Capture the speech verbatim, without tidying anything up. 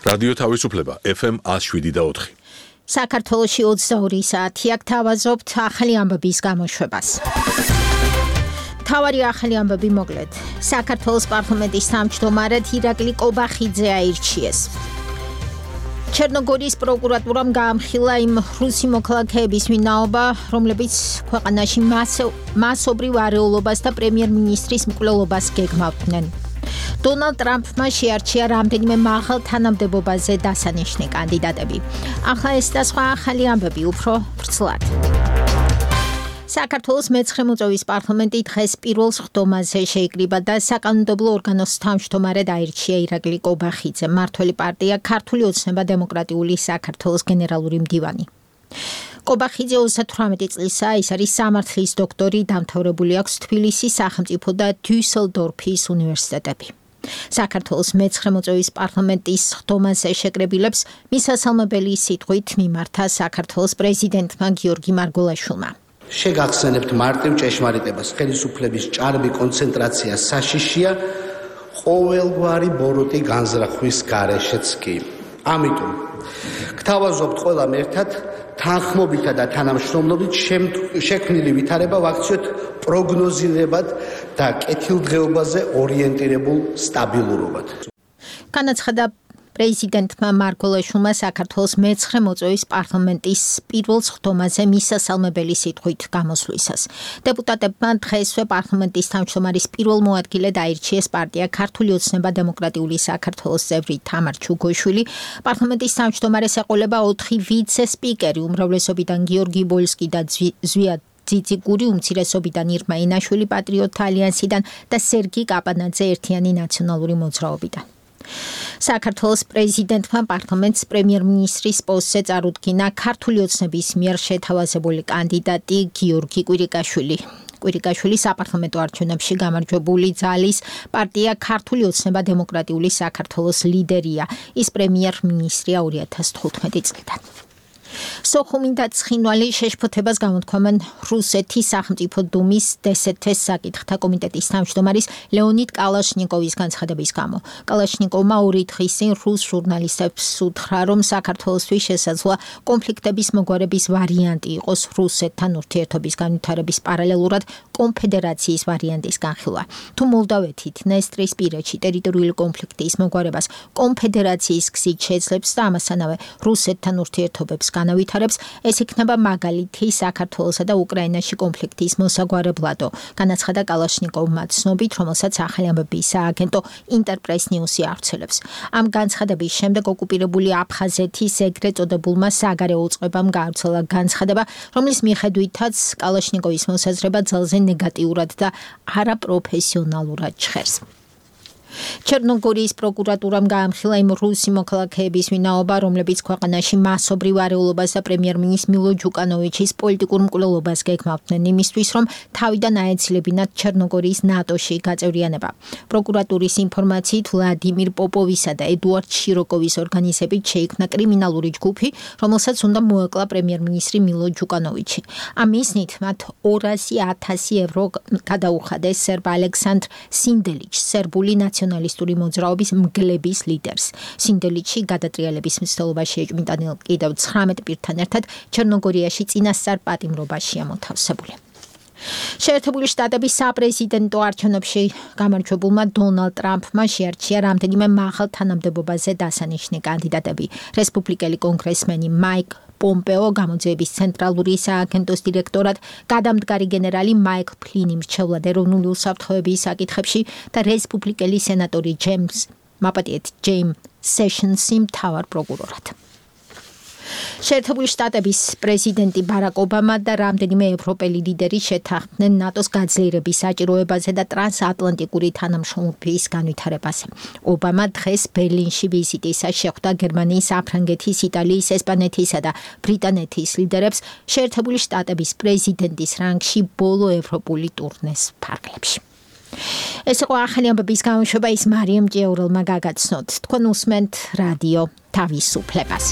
რადიო თავისუფლება ეფ ემ ათს შვიდი და ოთხი. საქართველოში ოცდაორი საათია გთავაზობთ ახალი ამბების გამოშვებას. თავარი ახალი ამბები მოკლედ. საქართველოს პარლამენტის თავმჯდომარედ ირაკლი კობახიძე აირჩიეს. ჩერნოგორიის პროკურატურამ გაამხილა იმ რუსი მოქალაქეების ვინაობა, რომლებიც ქვეყანაში მასობრივ არეულობას და პრემიერ-მინისტრის მკვლელობას გეგმავდნენ. დონალდ ტრამპმა შეარჩია რამდენიმე მაღალ თანამდებობაზე დასანიშნე კანდიდატები. ახლა ეს და სხვა ახალი ამბები უფრო ვრცლად. საქართველოს მეცხრე მოწვევის პარლამენტი დღეს პირველ სხდომაზე შეიკრიბა და საკანონმდებლო ორგანოს თავმჯდომარედ აირჩია ირაკლი კობახიძე, მმართველი პარტია ქართული ოცნება დემოკრატიული საქართველოს გენერალური მდივანი. კობახიძე ოცდათვრამეტი წლისაა, ის არის სამართლის დოქტორი, დამთავრებული აქვს თბილისის სახელმწიფო და დიუსელდორფის უნივერსიტეტები. საქართველოს მეცხრე მოწვევის პარლამენტის სხდომაზე შეკრებილებს მისასალმებელი სიტყვით მიმართა საქართველოს პრეზიდენტმა გიორგი მარგველაშვილმა. შეგახსენებთ მარტივ ჭეშმარიტებას, ხელისუფლების ჭარბი კონცენტრაცია საშიშია ყოველგვარი ბოროტი განზრახვის გარეშეც კი. ამიტომ გთავაზობთ ყველამ ერთად თანხმობითა და თანამშრომლობით შექმნილი ვითარება ვაქციოთ პროგნოზირებად და კეთილდღეობაზე ორიენტირებულ სტაბილურობად. განაცხადა პრეზიდენტმა მარგველაშვილმა საქართველოს მეცხრე მოწვევის პარლამენტის პირველ სხდომაზე მისასალმებელი სიტყვით გამოსვლისას. დეპუტატებმა დღესვე პარლამენტის თავმჯდომარის პირველ მოადგილედ აირჩიეს პარტია ქართული ოცნება დემოკრატიული საქართველოს წევრი თამარ ჩუგოშვილი. პარლამენტის თავმჯდომარეს ეყოლება ოთხი ვიცე-სპიკერი, უმრავლესობიდან გიორგი ბოლსკი და ზვია ძიციგური, უმცირესობიდან ირმა ინაშვილი პატრიოტთა ალიანსიდან და სერგი კაპანაძე ერთიანი ნაციონალური მოძრაობიდან. საქართველოს პრეზიდენტმა პარლამენტს პრემიერ-მინისტრის პოსტზე წარუდგინა ქართული ოცნების მიერ შეთავაზებული კანდიდატი გიორგი კვირიკაშვილი. კვირიკაშვილი საპარლამენტო არჩევნებში გამარჯვებული ძალის პარტია ქართული ოცნება დემოკრატიული საქართველოს ლიდერია. ის პრემიერ-მინისტრია ორი ათას თხუთმეტი წლიდან. სოხუმიდან ცხინვალი შეშფოთებას გამოთქვამენ რუსეთის სახელმწიფო დუმის დსთ-ს საკითხთა კომიტეტის თავმჯდომარის ლეონიდ კალაშნიკოვის განცხადების გამო. კალაშნიკოვმა ორი დღის წინ რუს ჟურნალისტებს უთხრა, რომ საქართველოსთვის შესაძლოა კონფლიქტების მოგვარების ვარიანტი იყოს რუსეთთან ურთიერთობის განვითარების პარალელურად კონფედერაციის ვარიანტის განხილვა. თუ მოლდავეთით დნესტრისპირეთში ტერიტორიული კონფლიქტის მოგვარებას კონფედერაციის გზით შეძლებს და ამასთანავე რუსეთთან ურთიერთობებს განავითარებს, ეს იქნება მაგალითი საქართველოსა და უკრაინაში კონფლიქტის მოსაგვარებლადო, განაცხადა კალაშნიკოვმა ცნობით, რომელსაც ახალი ამბების სააგენტო ინტერპრეს ნიუსი ავრცელებს. ამ განცხადების შემდეგ ოკუპირებული აფხაზეთის ეგრეთ წოდებულმა საგარეო უწყებამ გაავრცელა განცხადება, რომლის მიხედვითაც კალაშნიკოვის მოსაზრება ძალზე ნეგატიურად და არაპროფესიონალურად ჟღერს. ჩერნოგორიის პროკურატურამ გაამხილა იმ რუსი მოქალაქეების ვინაობა, რომლებიც ქვეყანაში მასობრივ არეულობას და პრემიერ-მინისტრის მილო ჯუკანოვიჩის პოლიტიკურ მკვლელობას გეგმავდნენ იმისთვის, რომ თავიდან აეცილებინათ ჩერნოგორიის ნატოში გაწევრიანება. პროკურატურის ინფორმაციით ვლადიმირ პოპოვისა და ედუარდ შიროკოვის ორგანიზებით შეიქმნა კრიმინალური ჯგუფი, რომელსაც უნდა მოეკლა პრემიერ-მინისტრი მილო ჯუკანოვიჩი. ამ მიზნით მათ ორასი ათასი ევრო გადაუხადეს სერბ ალექსანდრ სინდელიჩს, სერბული ნაციონალისტური მოძრაობის მგლების ლიდერს. სინდელიჩი გადატრიალების მცდელობაში ეჭვმიტანილ კიდევ ცხრამეტ პირთან ერთად ჩერნოგორიაში წინასწარ პატიმრობაშია მოთავსებული. შეერთებული შტატების საპრეზიდენტო არჩევნებში გამარჯვებულმა დონალდ ტრამპმა შეარჩია რამდენიმე მაღალ თანამდებობაზე დასანიშნე კანდიდატები. რესპუბლიკელი კონგრესმენი მაიკ პომპეო, გამოძიების ცენტრალური სააგენტოს დირექტორად, გადამდგარი გენერალი მაიკლ ფლინი მრჩევლად ეროვნული უსაფრთხოების საკითხებში და რესპუბლიკელი სენატორი ჯეიმს მაპატიეთ ჯეიმ სეშენსი მთავარ პროკურორად. შეერთებული შტატების პრეზიდენტი ბარაკ ობამა და რამდენიმე ევროპელი ლიდერი შეთანხმდნენ ნატოს გაძლიერების საჭიროებაზე და ტრანსატლანტიკური თანამშრომლობის განვითარებაზე. ობამა დღეს ბერლინში ვიზიტისას შეხვდა გერმანიის, საფრანგეთის, იტალიის, ესპანეთისა და ბრიტანეთის ლიდერებს შეერთებული შტატების პრეზიდენტის რანგში ბოლო ევროპული ტურნეს ფარგლებში. ეს იყო ახალი ამბების გამოშვება, ის მარიამ ჭიაურელმა გაგაცნოთ. თქვენ უსმენთ რადიო თავისუფლებას.